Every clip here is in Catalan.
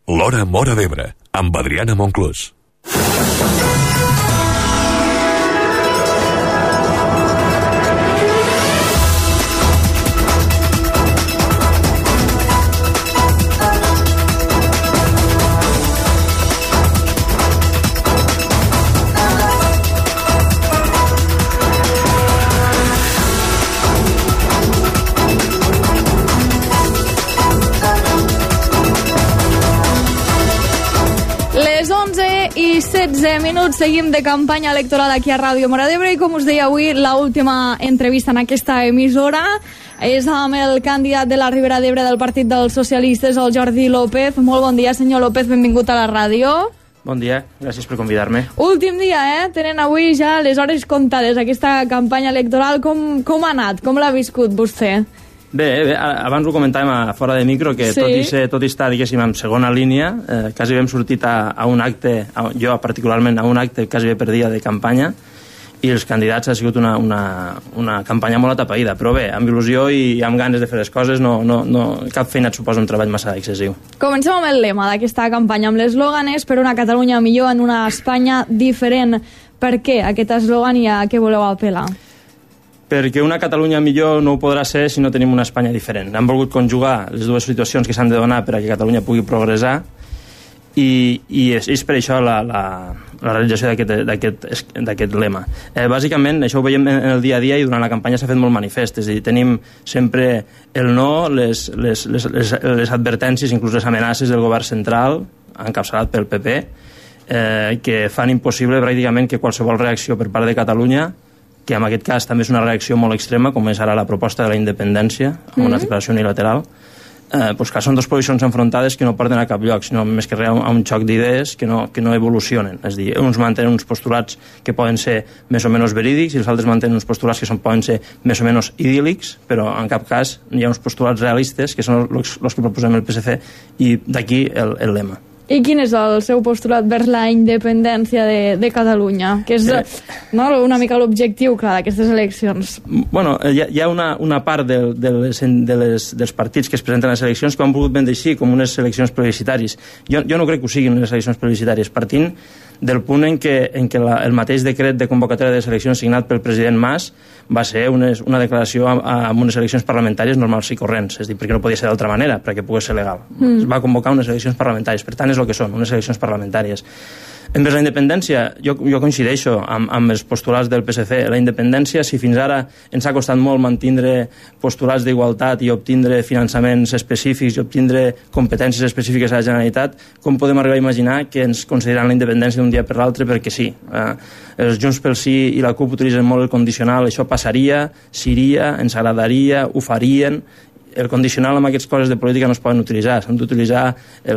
L'Hora Móra d'Ebre, amb Adriana Monclús. Les 11:16 minuts, seguim de campanya electoral aquí a Ràdio Móra d'Ebre i com us deia avui, l'última entrevista en aquesta emissora és amb el candidat de la Ribera d'Ebre del Partit dels Socialistes, el Jordi López. Molt bon dia, senyor López, benvingut a la ràdio. Bon dia, gràcies per convidar-me. Últim dia, tenen avui ja les hores comptades, aquesta campanya electoral. Com ha anat? Com l'ha viscut vostè? Bé, abans ho comentàvem a fora de micro, que sí. tot i estar, diguéssim, en segona línia, quasi hem sortit a un acte, jo particularment a un acte quasi bé per dia de campanya, i els candidats ha sigut una campanya molt atapeïda, però bé, amb il·lusió i amb ganes de fer les coses, cap feina et suposa un treball massa excessiu. Comencem amb el lema d'aquesta campanya, amb l'eslògan és per una Catalunya millor en una Espanya diferent. Per què aquest eslògan i a què voleu apel·lar? Perquè una Catalunya millor no ho podrà ser si no tenim una Espanya diferent. Han volgut conjugar les dues situacions que s'han de donar per a que Catalunya pugui progressar i és per això la realització d'aquest lema. Bàsicament, això ho veiem en el dia a dia i durant la campanya s'ha fet molt manifest. És a dir, tenim sempre el no, les advertències, inclús les amenaces del govern central, encapçalat pel PP, que fan impossible pràcticament que qualsevol reacció per part de Catalunya, que en aquest cas també és una reacció molt extrema, com és ara la proposta de la independència, amb una declaració unilateral, que són dues posicions enfrontades que no porten a cap lloc, sinó més que res a un xoc d'idees que no evolucionen. És a dir, uns mantenen uns postulats que poden ser més o menys verídics i els altres mantenen uns postulats que poden ser més o menys idíl·lics, però en cap cas hi ha uns postulats realistes que són els que proposem el PSC i d'aquí el lema. I quin és el seu postulat vers la independència de Catalunya? Que és una mica l'objectiu, clar, d'aquestes eleccions. Bueno, hi ha una part dels partits que es presenten a les eleccions que ho han volgut vendre així, com unes eleccions plebiscitàries. Jo no crec que ho siguin unes eleccions plebiscitàries, partint del punt en què el mateix decret de convocatòria de les eleccions signat pel president Mas va ser una declaració amb unes eleccions parlamentàries normals i corrents, és a dir, perquè no podia ser d'altra manera, perquè pogués ser legal. Es va convocar unes eleccions parlamentàries, per tant és el que són, unes eleccions parlamentàries. Envers la independència, jo coincideixo amb els postulats del PSC. La independència, si fins ara ens ha costat molt mantindre postulats d'igualtat i obtindre finançaments específics i obtindre competències específiques a la Generalitat, com podem arribar a imaginar que ens consideraran la independència d'un dia per l'altre perquè sí? Els Junts pel Sí i la CUP utilitzen molt el condicional, això passaria, seria, ens agradaria, ho farien. El condicional amb aquestes coses de política no es poden utilitzar, s'han d'utilitzar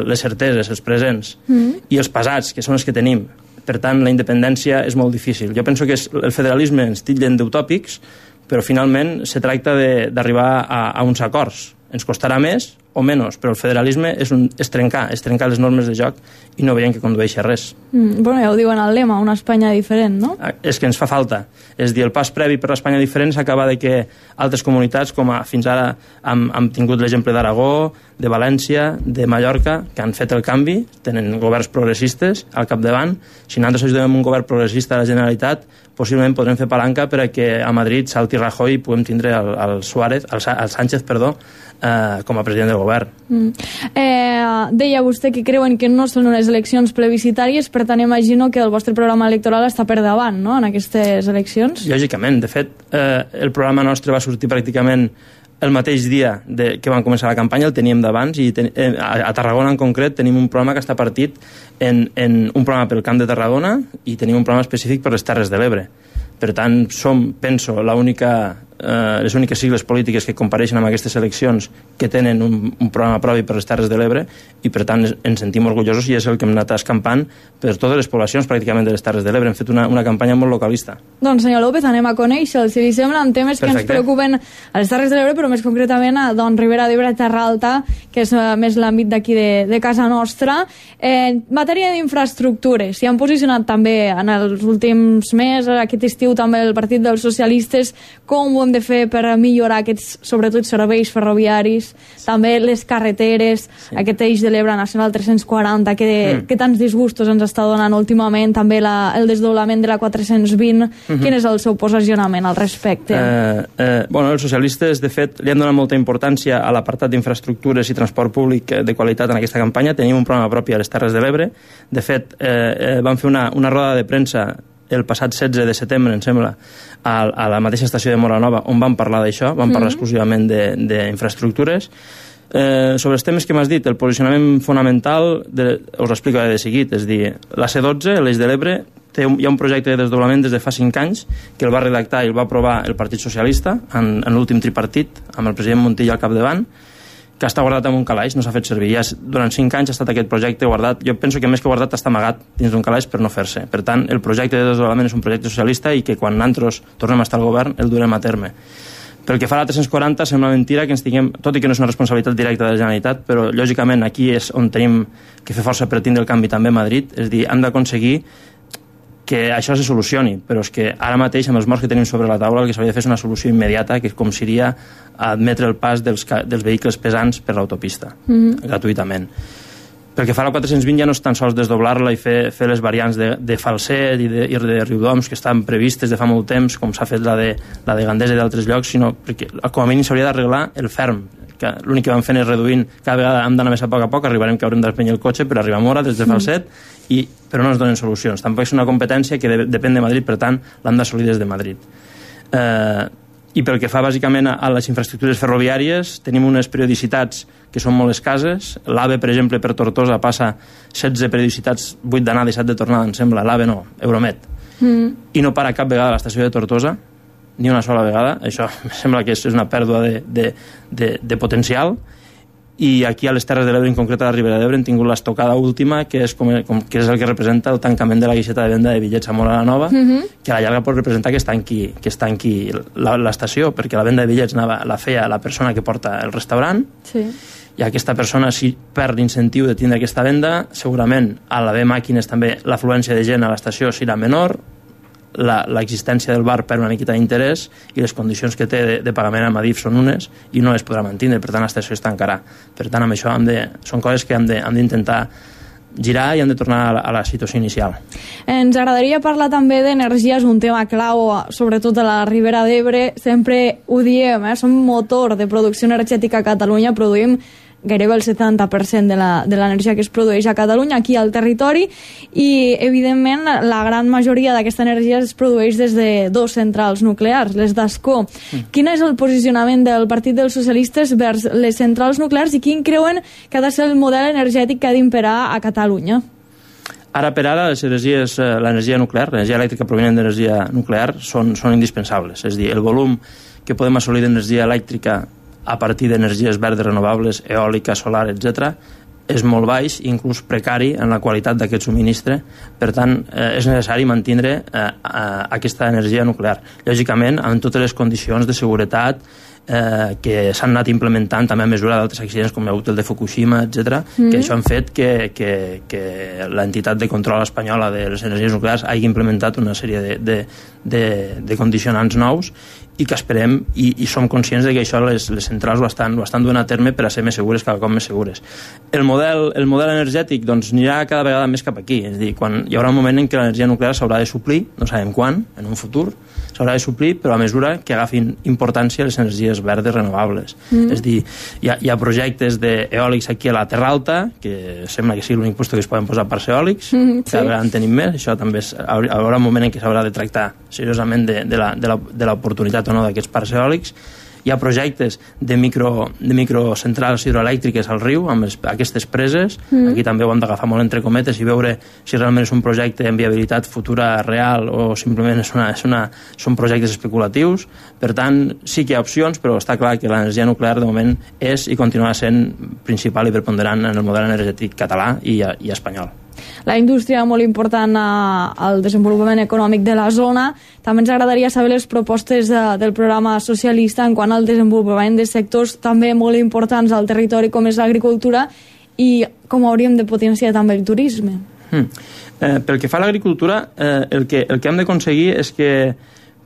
les certeses, els presents i els passats, que són els que tenim. Per tant, la independència és molt difícil. Jo penso que el federalisme ens titllen d'utòpics, però finalment se tracta d'arribar a uns acords. Ens costarà més o menys, però el federalisme és trencar les normes de joc i no veiem que condueixi a res. Bueno, ja ho diuen al lema, una Espanya diferent, no? És que ens fa falta. És dir, el pas previ per l'Espanya diferent s'acaba de que altres comunitats, com fins ara hem tingut l'exemple d'Aragó, de València, de Mallorca, que han fet el canvi, tenen governs progressistes al capdavant. Si nosaltres ajudem un govern progressista a la Generalitat, possiblement podrem fer palanca per a que a Madrid salti Rajoy i puguem tindre el Sánchez, com a president del govern. Deia vostè que creuen que no són unes eleccions plebiscitàries, per tant imagino que el vostre programa electoral està per davant, no?, en aquestes eleccions. Lògicament, de fet, el programa nostre va sortir pràcticament el mateix dia que van començar la campanya, el teníem d'abans, i a Tarragona en concret tenim un programa que està partit en un programa pel Camp de Tarragona i tenim un programa específic per les Terres de l'Ebre. Per tant, som, penso, les úniques sigles polítiques que compareixen amb aquestes eleccions que tenen un programa propi per les Terres de l'Ebre i, per tant, ens sentim orgullosos i és el que hem anat escampant per totes les poblacions pràcticament de les Terres de l'Ebre. Hem fet una campanya molt localista. Doncs, senyor López, anem a conèixer, si li sembla, en temes que ens preocupen a les Terres de l'Ebre, però més concretament a Ribera d'Ebre, Terra Alta, que és més l'àmbit d'aquí de casa nostra. En matèria d'infraestructures, s'hi han posicionat també en els últims mesos, aquest estiu també el Partit dels Socialistes. Com ho hem de fer per millorar aquests, sobretot, serveis ferroviaris, també les carreteres, aquest eix de l'Ebre Nacional 340, que tants disgustos ens està donant últimament, també el desdoblament de la 420, quin és el seu posicionament al respecte? Bueno, els socialistes, de fet, li han donat molta importància a l'apartat d'infraestructures i transport públic de qualitat en aquesta campanya. Tenim un programa propi a les Terres de l'Ebre. De fet, vam fer una roda de premsa el passat 16 de setembre, em sembla, a la mateixa estació de Moranova, on vam parlar d'això, vam parlar exclusivament d'infraestructures. Sobre els temes que m'has dit, el posicionament fonamental, us explico de seguit, és dir, la C12, l'Eix de l'Ebre, hi ha un projecte de desdoblament des de fa 5 anys que el va redactar i el va aprovar el Partit Socialista en l'últim tripartit, amb el president Montilla al capdavant, que està guardat en un calaix, no s'ha fet servir. Ja durant 5 anys ha estat aquest projecte guardat. Jo penso que més que guardat està amagat dins d'un calaix per no fer-se. Per tant, el projecte de desdoblament és un projecte socialista i que quan nosaltres tornem a estar al govern el durem a terme. Pel que fa a la 340, sembla mentira que ens tinguem, tot i que no és una responsabilitat directa de la Generalitat, però lògicament aquí és on tenim que fer força per tindre el canvi també a Madrid, és dir, hem d'aconseguir que això se solucioni, però és que ara mateix amb els morts que tenim sobre la taula el que s'hauria de fer és una solució immediata, que com seria admetre el pas dels vehicles pesants per l'autopista, gratuïtament. Pel que fa a la 420 ja no és tan sols desdoblar-la i fer les variants de Falset i de Riudoms que estan previstes de fa molt temps, com s'ha fet la de Gandesa i d'altres llocs, sinó perquè com a mínim s'hauria d'arreglar el ferm, que l'únic que vam fent és reduint, cada vegada hem d'anar més a poc, arribarem que haurem d'espenyar el cotxe per arribar a Mora des de Falset, però no ens donen solucions. Tampoc és una competència que depèn de Madrid, per tant l'hem d'assolir des de Madrid. I pel que fa bàsicament a les infraestructures ferroviàries, tenim unes periodicitats que són molt escases. L'AVE, per exemple, per Tortosa passa 16 periodicitats, 8 d'anada i 7 de tornada, em sembla. L'AVE no, Euromet. I no para cap vegada a l'estació de Tortosa, ni una sola vegada. Això em sembla que és una pèrdua de potencial. I aquí a les Terres de l'Ebre, en concret a la Ribera d'Ebre, hem tingut l'estocada última, que és el que representa el tancament de la guixeta de venda de bitllets a Mora la Nova, que a la llarga pot representar que es tanqui l'estació, perquè la venda de bitllets la feia la persona que porta el restaurant, i aquesta persona, si perd l'incentiu de tindre aquesta venda, segurament a l'haver màquines també l'afluència de gent a l'estació serà menor, l'existència del bar per una miqueta d'interès i les condicions que té de pagament amb Adif són unes i no es podrà mantenir, per tant l'estació es tancarà. Per tant, amb això són coses que hem d'intentar girar i hem de tornar a la situació inicial. Ens agradaria parlar també d'energia, és un tema clau, sobretot a la Ribera d'Ebre. Sempre ho diem, som motor de producció energètica a Catalunya, produïm gairebé el 70% de l'energia que es produeix a Catalunya, aquí al territori, i evidentment la gran majoria d'aquesta energia es produeix des de 2 centrals nuclears, les d'Ascó. Quin és el posicionament del Partit dels Socialistes vers les centrals nuclears i quin creuen que ha de ser el model energètic que ha d'imperar a Catalunya? Ara per ara l'energia nuclear, l'energia elèctrica provinent d'energia nuclear són indispensables, és a dir, el volum que podem assolir d'energia elèctrica a partir d'energies verdes renovables, eòlica, solar, etc., és molt baix, inclús precari en la qualitat d'aquest subministre. Per tant, és necessari mantenir aquesta energia nuclear. Lògicament, amb totes les condicions de seguretat que s'han anat implementant també a mesura d'altres accidents com el de Fukushima, etc., que això han fet que l'entitat de control espanyola de les energies nuclears hagi implementat una sèrie de condicionants nous i que esperem i som conscients de que això les centrals ho estan duent a terme per a ser més segures, cada cop més segures. El model energètic doncs anirà cada vegada més cap aquí, és a dir, quan hi haurà un moment en què l'energia nuclear s'haurà de suplir, no sabem quan, en un futur, s'haurà de suplir, però a mesura que agafin importància les energies verdes renovables. És a dir, hi ha projectes d'eòlics aquí a la Terra Alta, que sembla que sigui l'únic lloc que es poden posar parcs eòlics, cada vegada en tenim més, això també hi haurà un moment en què s'haurà de tractar seriosament de l'oportunitat o no d'aquests parcs eòlics. Hi ha projectes de microcentrals hidroelèctriques al riu, amb aquestes preses. Aquí també ho hem d'agafar molt entre cometes i veure si realment és un projecte amb viabilitat futura real o simplement són projectes especulatius. Per tant, sí que hi ha opcions, però està clar que l'energia nuclear de moment és i continuarà sent principal i preponderant en el model energètic català i espanyol. La indústria molt important al desenvolupament econòmic de la zona. També ens agradaria saber les propostes del programa socialista en quant al desenvolupament de sectors també molt importants al territori com és l'agricultura i com hauríem de potenciar també el turisme. Pel que fa a l'agricultura, el que hem d'aconseguir és que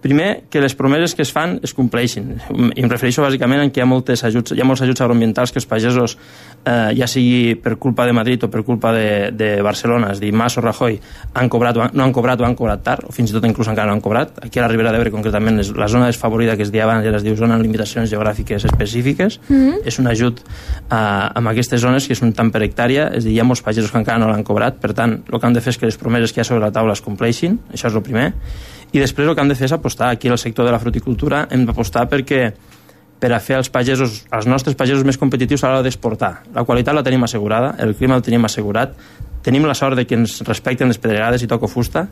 Primer, que les promeses que es fan es compleixin. I em refereixo bàsicament a que hi ha molts ajuts agroambientals que els pagesos, ja sigui per culpa de Madrid o per culpa de Barcelona, és a dir, Mas o Rajoy, no han cobrat o han cobrat tard, o fins i tot inclús encara no han cobrat. Aquí a la Ribera d'Ebre, concretament, la zona desfavorida que es deia abans, es diu zona amb limitacions geogràfiques específiques. És un ajut amb aquestes zones que són tant per hectàrea, és a dir, hi ha molts pagesos que encara no l'han cobrat, per tant, el que han de fer és que les promeses que hi ha sobre la taula es compleixin, això és el primer. I després el que hem de fer és apostar. Aquí al sector de la fruticultura hem d'apostar per a fer els nostres pagesos més competitius a l'hora d'exportar. La qualitat la tenim assegurada, el clima el tenim assegurat, tenim la sort de que ens respecten les pedregades i toco fusta.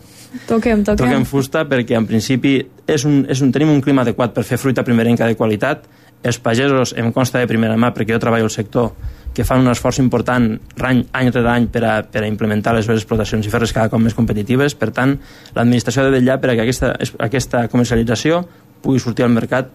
Toquem fusta perquè en principi tenim un clima adequat per fer fruita primerenca de qualitat. Els pagesos, em consta de primera mà, perquè jo treballo al sector, que fan un esforç important any rere any per a implementar les seves explotacions i fer-les cada cop més competitives. Per tant, l'administració ha de vetllar perquè aquesta comercialització pugui sortir al mercat.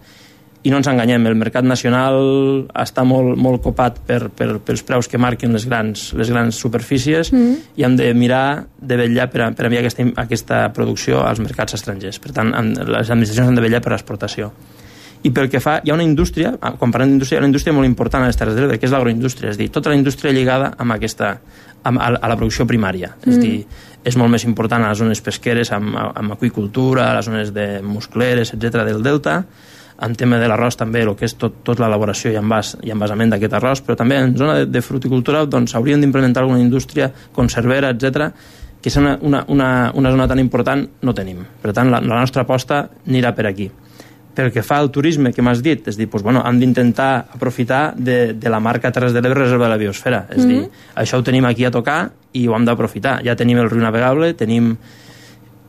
I no ens enganyem, el mercat nacional està molt copat pels preus que marquen les grans superfícies i hem de mirar de vetllar per enviar aquesta producció als mercats estrangers. Per tant, les administracions han de vetllar per l'exportació. I pel que fa, hi ha una indústria, quan parlem d'indústria, hi ha una indústria molt important a les Terres de l'Ebre, que és l'agroindústria, és a dir, tota la indústria lligada a la producció primària. És a dir, és molt més important a les zones pesqueres, amb aqüicultura, a les zones de muscleres, etc del delta, en tema de l'arròs també, el que és tot l'elaboració i envasament d'aquest arròs, però també en zona de fruticultura doncs hauríem d'implementar alguna indústria conservera, etc, que és una zona tan important, no tenim. Per tant, la nostra aposta anirà per aquí. Pel que fa al turisme que m'has dit, és dir, hem d'intentar aprofitar de la marca Terres de l'Ebre Reserva de la Biosfera. És dir, això ho tenim aquí a tocar i ho hem d'aprofitar. Ja tenim el riu navegable, tenim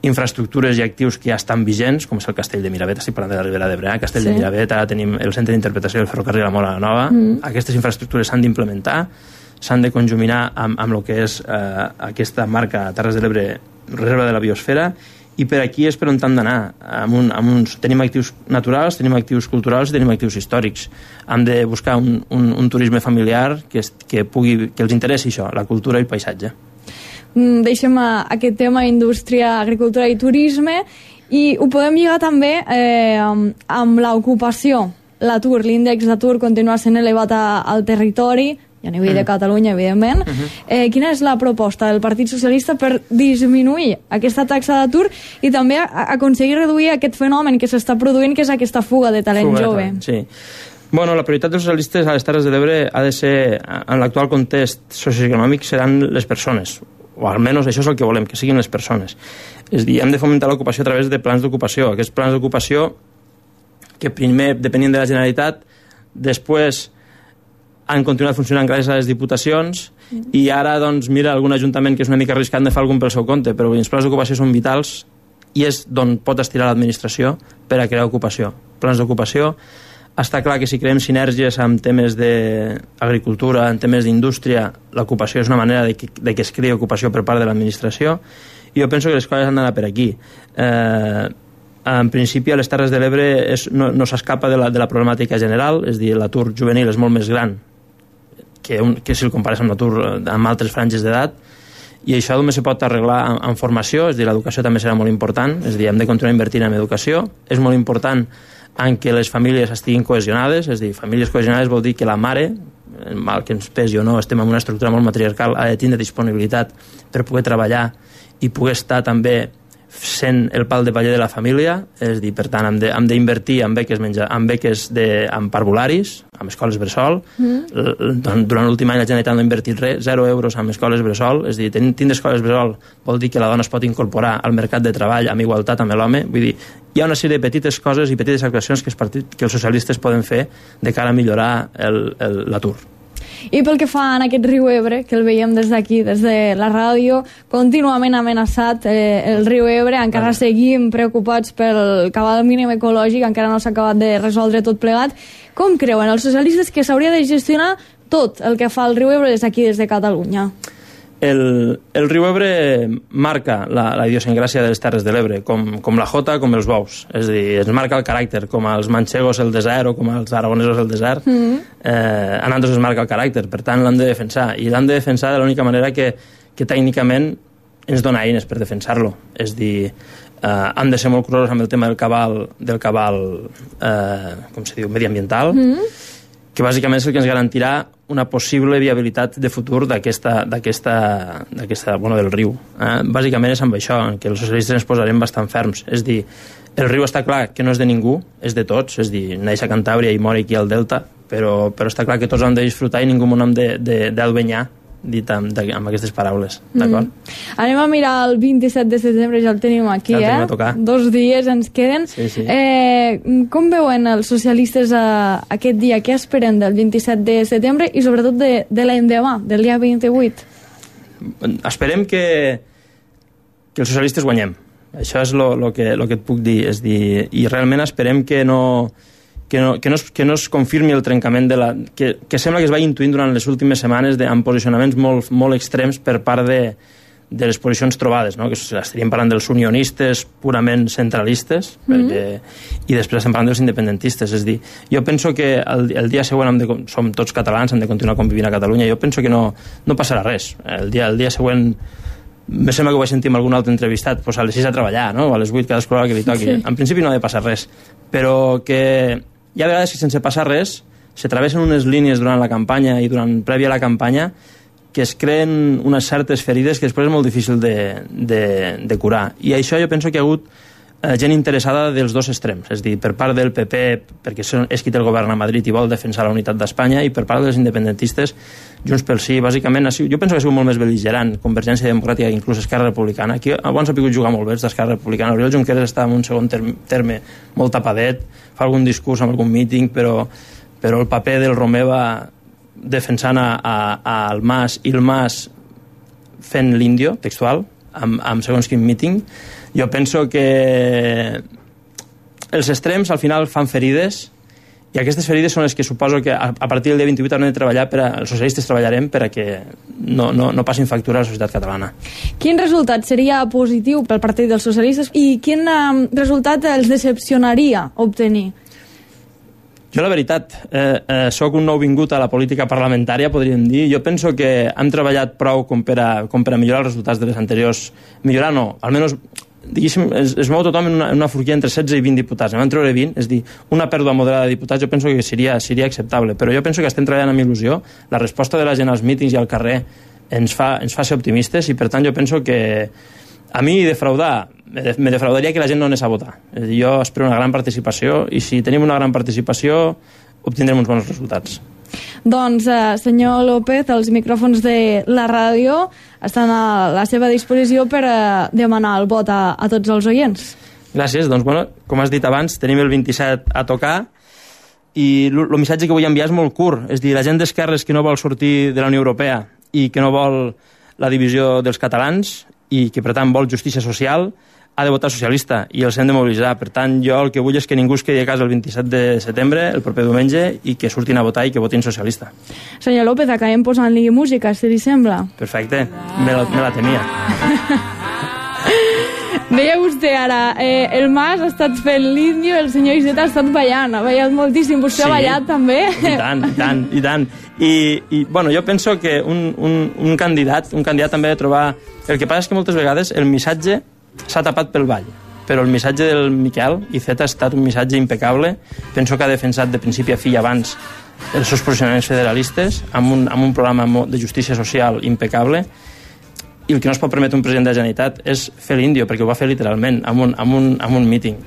infraestructures i actius que ja estan vigents, com és el Castell de Miravet, estic parlant de la Ribera d'Ebre, Castell de Miravet, ara tenim el centre d'interpretació del ferrocarril a Móra la Nova. Aquestes infraestructures s'han d'implementar, s'han de conjuminar amb el que és aquesta marca Terres de l'Ebre Reserva de la Biosfera. I per aquí és per on hem d'anar. Tenim actius naturals, tenim actius culturals i tenim actius històrics. Hem de buscar un turisme familiar que els interessi això, la cultura i el paisatge. Deixem aquest tema indústria, agricultura i turisme i ho podem lligar també amb l'ocupació. L'atur, l'índex d'atur continua sent elevat al territori, i a nivell de Catalunya, evidentment. Quina és la proposta del Partit Socialista per disminuir aquesta taxa d'atur i també aconseguir reduir aquest fenomen que s'està produint, que és aquesta fuga de talent jove? Sí. Bueno, la prioritat dels socialistes a les Terres de l'Ebre ha de ser, en l'actual context socioeconòmic, seran les persones, o almenys això és el que volem, que siguin les persones. És a dir, hem de fomentar l'ocupació a través de plans d'ocupació. Aquests plans d'ocupació que primer depenien de la Generalitat, després han continuat funcionant gràcies a les diputacions i ara, doncs, mira, algun ajuntament que és una mica arriscat de fer algun pel seu compte, però els plans d'ocupació són vitals i és d'on pot estirar l'administració per a crear ocupació. Plans d'ocupació. Està clar que si creem sinergies amb temes d'agricultura, en temes d'indústria, l'ocupació és una manera de que es creï ocupació per part de l'administració i jo penso que les coses han d'anar per aquí. En principi, a les Terres de l'Ebre no s'escapa de la problemàtica general, és a dir, l'atur juvenil és molt més gran que si el compares amb l'atur amb altres franges d'edat, i això només se pot arreglar amb formació, és a dir, l'educació també serà molt important, és a dir, hem de continuar invertint en educació, és molt important en que les famílies estiguin cohesionades, és a dir, famílies cohesionades vol dir que la mare, mal que ens pesi o no, estem en una estructura molt matriarcal, ha de tindre disponibilitat per poder treballar i poder estar també sent el pal de paller de la família, és a dir, per tant, hem d'invertir en beques amb parvularis, amb escoles bressol. Durant l'últim any la Generalitat no ha invertit res, 0 euros en escoles bressol, és a dir, tindre escoles bressol vol dir que la dona es pot incorporar al mercat de treball amb igualtat amb l'home. Vull dir, hi ha una sèrie de petites coses i petites actuacions que els socialistes poden fer de cara a millorar l'atur. I pel que fa en aquest riu Ebre, que el veiem des d'aquí, des de la ràdio, contínuament amenaçat el riu Ebre, encara seguim preocupats pel cabal mínim ecològic, encara no s'ha acabat de resoldre tot plegat. Com creuen els socialistes que s'hauria de gestionar tot el que fa el riu Ebre des d'aquí, des de Catalunya? El riu Ebre marca la idiosincràsia de les Terres de l'Ebre, com la jota, com els bous. És a dir, ens marca el caràcter, com els manxegos el desert o com els aragonesos el desert. A nosaltres ens marca el caràcter, per tant l'hem de defensar. I l'hem de defensar de l'única manera que tècnicament ens dona eines per defensar-lo. És dir, hem de ser molt curosos amb el tema del cabal com se diu, mediambiental, que bàsicament és el que ens garantirà una possible viabilitat de futur del riu. Bàsicament és amb això, que els socialistes ens posarem bastant ferms. És dir, el riu està clar que no és de ningú, és de tots, és dir, neix a Cantàbria i mor aquí al Delta, però està clar que tots hem de disfrutar i ningú hem d'albenyar, dit amb aquestes paraules, d'acord? Anem a mirar el 27 de setembre, ja el tenim aquí, ja el tenim a tocar. 2 dies ens queden. Sí. Com veuen els socialistes aquest dia? Què esperen del 27 de setembre i sobretot de l'endemà, del dia 28? Esperem que els socialistes guanyem. Això és el que et puc dir. És dir, i realment esperem que no es confirmi el trencament que sembla que es va intuint durant les últimes setmanes amb posicionaments molt extrems per part de les posicions trobades, no? Que estaríem parlant dels unionistes purament centralistes i després estem parlant dels independentistes. És dir, jo penso que el dia següent som tots catalans, hem de continuar convivint a Catalunya. Jo penso que no passarà res. El dia següent me sembla que ho vaig sentir amb algun altre entrevistat, doncs a les 6 a treballar, no? O a les 8 cadascú l'hora que li toqui. Sí. En principi no ha de passar res, però que hi ha vegades que sense passar res se travessen unes línies durant la campanya i prèvia a la campanya que es creen unes certes ferides que després és molt difícil de curar. I això jo penso que hi ha hagut gent interessada dels dos extrems, és dir, per part del PP, perquè és qui té el govern a Madrid i vol defensar la unitat d'Espanya, i per part dels independentistes, Junts pel Sí, bàsicament, jo penso que ha sigut molt més bel·ligerant Convergència Democràtica que inclús Esquerra Republicana. Aquí abans ha pogut jugar molt bé d'Esquerra Republicana. Oriol Junqueras està en un segon terme molt tapadet, fa algun discurs amb algun míting, però el paper del Romeva defensant al Mas i el Mas fent l'índio, textual, amb segons quin míting. Jo penso que els extrems al final fan ferides i aquestes ferides són les que suposo que a partir del dia 28 haurem de treballar els socialistes treballarem per a que no passin factura a la societat catalana. Quin resultat seria positiu pel Partit dels Socialistes i quin resultat els decepcionaria obtenir? Jo, la veritat, soc un nou vingut a la política parlamentària, podríem dir. Jo penso que hem treballat prou com per a millorar els resultats de les anteriors. Millorar no, almenys, diguéssim, es mou tothom en una forquilla entre 16 i 20 diputats. En vam treure 20, és dir, una pèrdua moderada de diputats jo penso que seria acceptable, però jo penso que estem treballant amb il·lusió. La resposta de la gent als mítings i al carrer ens fa ser optimistes i, per tant, jo penso que a mi me defraudaria que la gent no anés a votar. És a dir, jo espero una gran participació i si tenim una gran participació obtindrem uns bons resultats. Doncs, senyor López, els micròfons de la ràdio estan a la seva disposició per demanar el vot a tots els oients. Gràcies. Doncs, bueno, com has dit abans, tenim el 27 a tocar i el missatge que vull enviar és molt curt. És a dir, la gent d'esquerres que no vol sortir de la Unió Europea i que no vol la divisió dels catalans i que, per tant, vol justícia social, ha de votar socialista i els hem de mobilitzar. Per tant, jo el que vull és que ningú es quedi a casa el 27 de setembre, el proper diumenge, i que surtin a votar i que votin socialista. Senyor López, acabem posant-li música, si li sembla. Perfecte, me la temia. Deia vostè ara, el Mas ha estat fent l'índio, el senyor Iceta ha estat ballant, ha ballat moltíssim. Vostè ha ballat també? I tant. I bueno, jo penso que un candidat també ha de trobar... El que passa és que moltes vegades el missatge s'ha tapat pel ball, però el missatge del Miquel Iceta ha estat un missatge impecable. Penso que ha defensat de principi a fi abans els seus posicionaments federalistes amb un programa de justícia social impecable, i el que no es pot permetre un president de la Generalitat és fer l'índio, perquè ho va fer literalment amb un míting.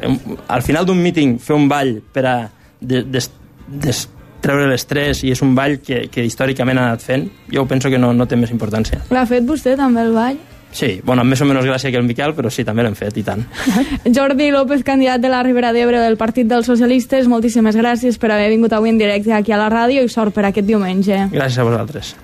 Al final d'un míting fer un ball per a treure l'estrès, i és un ball que històricament ha anat fent, jo penso que no té més importància. L'ha fet vostè també el ball? Sí, bueno, amb més o menys gràcia que el Miquel, però sí, també l'hem fet, i tant. Jordi López, candidat de la Ribera d'Ebre del Partit dels Socialistes, moltíssimes gràcies per haver vingut avui en directe aquí a la ràdio i sort per aquest diumenge. Gràcies a vosaltres.